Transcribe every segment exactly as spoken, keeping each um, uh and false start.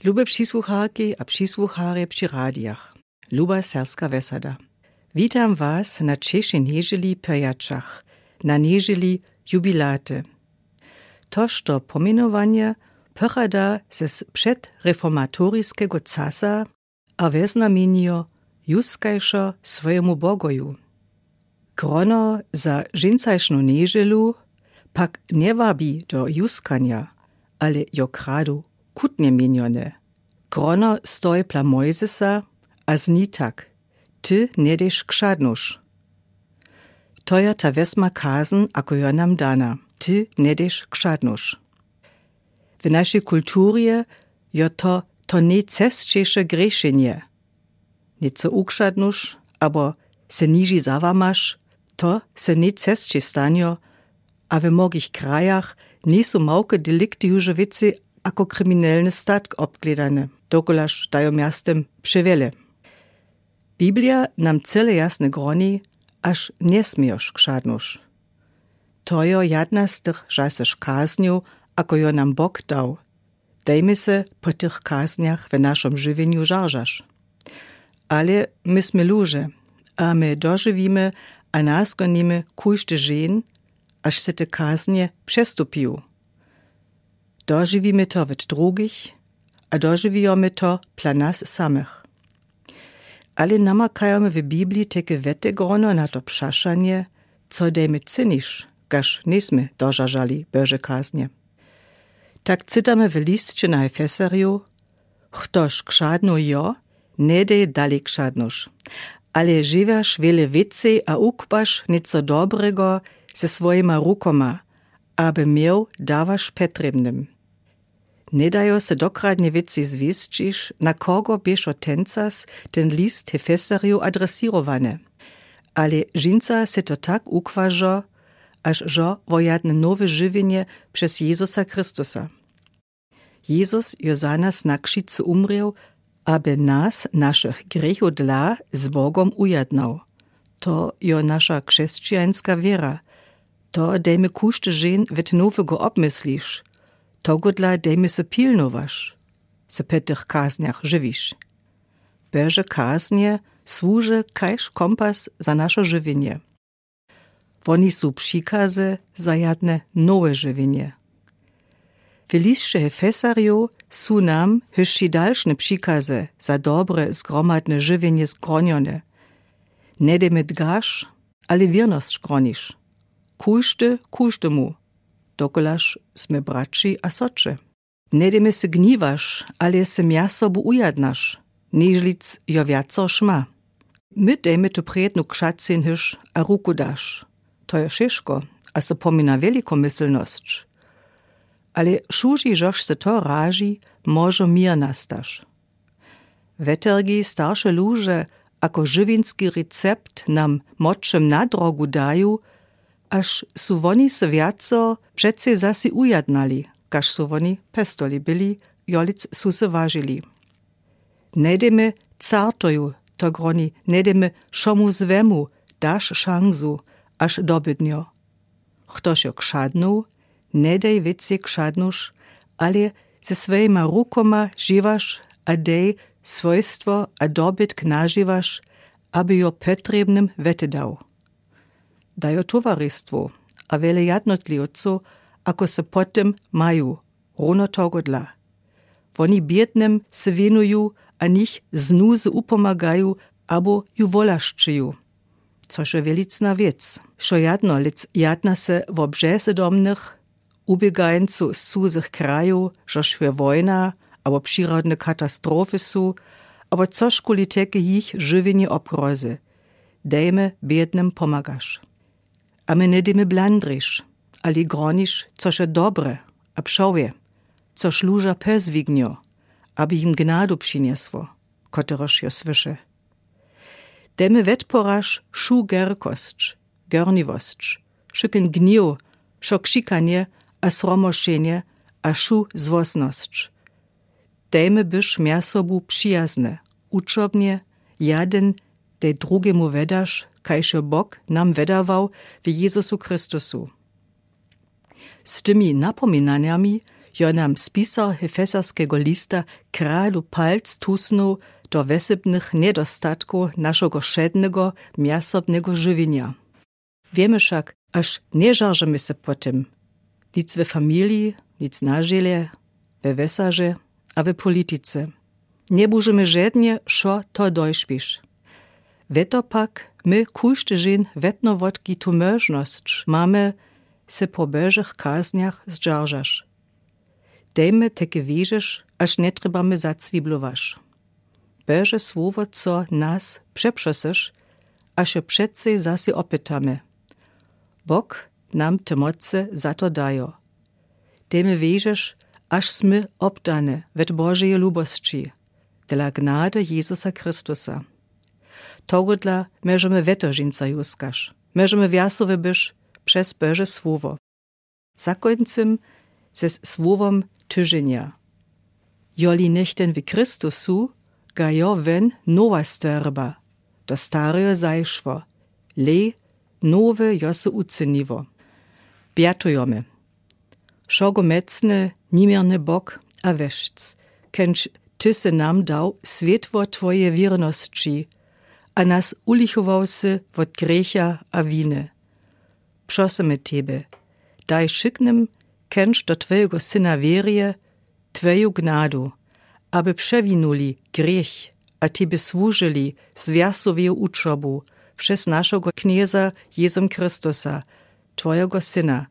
Lube přisłucharki a přisłucharje při radijach, luba serbska wjesada, witam was na ćešej njedźeli pyrjaćach, na njedźeli jubilaty. To što pomjenowanje pochada z předreformatoriskego czasu a we znamjenjo juskajšo swojemu bogoju. Grono za dźensajšnu njedźelu pak njewabi do juskanja, ale jo kradu kutnje mjenjone. Grono stoji pla mojzesa a zni tak: ty njedejš kšadnuš. To je ta wjesma kazen, ako jo nam dana: ty njedejš kšadnuš. W našej kulturje jo to to nejcesćejše grěšenje. Něco ukšadnuš abo se niži zawamaš, to se nejcesćej stanjo. A we mnogich krajach njejsu małke delikty juž wěcej ako kriminelny statk obgledane, dokulaž dajo mjastym přewjele. Biblija nam cyle jasne groni, až njesmějoš kšadnuš. To jo jedna z tych žasyš kaznjow, ako jo nam bok dał. Dejmy se po tych kaznjach w našom žiwjenju žaržaš. Ale my smy luže a my dožiwimy a naskonimy kóżdy dźeń, až se te kaznje přestupiju. Dožiwimy to wot drugich a dožiwijomy to pla nas samych. Ale namakajomy w bibliji teke wete grono na to přašanje: co dej my cyniš, kaž njejsmy dožažali bože kaznje? Tak cytamy w lisće na efesarjow: chtož kšadnoł jo, njedej dali kšadnuš, ale žiwjaš wjele wěcej a ukpaš něco dobrego ze swojima rukoma, aby měł dawaš petrjebnym. Njedajo se dokradnje wěcej zwěsćiš, na kogo běšo tencas ten list hefesarjow adresěrowany. Ale dźensa se to tak ukwažo, až žo wo jadne nowe žiwjenje přez jezusa christusa. Jezus jo za nas na křicu umrěł, aby nas našich grěchow dla z bogom ujadnał. To jo naša křesćijanska wěra. To dej my kóżdy dźeń wot nowego obmysliš. Togodla dej my se pilnowaš, se po tych kaznjach žiwiš. Bože kaznje słuže kaž kompas za našo žiwjenje. Woni su přikazy za jadne nowe žiwjenje. W lisće hefesarjow su nam hyšći dalšne přikazy za dobre zgromadne žiwjenje zgronjone: njedej my dgaš, ale wěrnosć groniš, kóżdy kóždemu, dokulaž smy braći a soće. Njedej my se gniwaš, ale se mja sobu ujadnaš, nižlic jo wjaco šma. My dej my tu prědnu kšacyń hyš a ruku daš. To jo wšeško a so pomina wjelikomyslnosć. Ale wšudźi žož se to raži, móžo měr nastaš. Wetergi starše luže ako žiwjenski recept nam močem na drogu daju, až su woni se wjaco přecej zasi ujadnali, kaž su woni pestoli byli, jolic su se wažili. Njedej my cartoju, to groni, njedej my wšomu złemu daš šansu, až dobydnjo. Chtož jo kšadnoł, njedej wěcej kšadnuš, ale ze swojima rukoma žiwaš a dej swojstwo a dobytk nažiwaš, aby jo potrjebnym wetedał. Dajo towaristwow a wjele jadnotliwcow, ako se po tym maju, runo togodla. Woni bědnym se wěnuju a nich z nuzy upomagaju abo ju wołaszczeju. Což je wjelicna wěc, što jadno lec jadna se wo březydomnych, uběgańcow z cuzych krajow, žož je wojna abo přirodne katastrofy su, abo cožkuli teke jich žiwjenje obhrozy. Dej my bědnym pomagaš. A my njedej my blandriš, ale groniš, což je dobre a přołje, což luža pezwignjo, aby jim gnadu přinjesło, koterož jo słyše. Dej my wetporaž wšu gerkosć, gorniwosć, wšyken gnjew, wšo křikanje a sromošenje a wšu złosnosć. Dej my być mja sobu přijazne, učobnje, jaden dej drugemu wedaš, kaž jo Bóg nam wedawał w Jezusu Christusu. Z tymi napominanjami Jo nam spisar hefesaskego lista kradu palc tusnął do wesebnych niedostatkow našego wšednego miasobnego żywjenja. Wiemë wšak, aż nie żarzymy se po tym, nic we familiji, nic na żelje, we wjesarze a we politice. Nie bóżemë żednje, szo to dojświsz. Weto pak my kóżdy żen wedno wotki tu mòżnosc mamy, se po Bòżich kazniach zdżarżasz. Dejmë teke wierzesz, aż nie trzebamë zacwiblowasz. Bòże słowo, co nas przeprzosësz, aż je przecej zase opytamy. Bóg nam te moce za to dajo. Dejmë wierzesz, aż smy obdane wet Bòżeje lubosci, dla gnady Jezusa Christusa. Tohodla mòżemë weto żinca juskasz, mòżemë wjasowe bysz przez Bòże słowo. Zakóńczym ze słowom tyżenia. Joli niech ten w Christusu, ga jo wen nowa stwôrba, to starejo zajszło, le nowe jo se ucyniło. Bjatujomë. Wšogomòcny, niemierny Bóg a weszc, kędź ty se nam dał swiatło twoje wiernosci a nas ulichował se wot grzecha a winy. Prosymë tebie, daj wszyknym, kędź do twojego Syna wierje, twoju gnadu, aby przewinuli grzech a tebie służyli z wjasoweju uczobu przez naszego Knjeza Jezum Christusa, twojego Syna,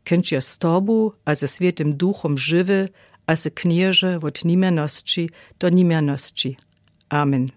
kędź je z tobu a ze Swiatym Duchom żywy a se Knjeże wot niemiernosci do niemiernosci. Amen.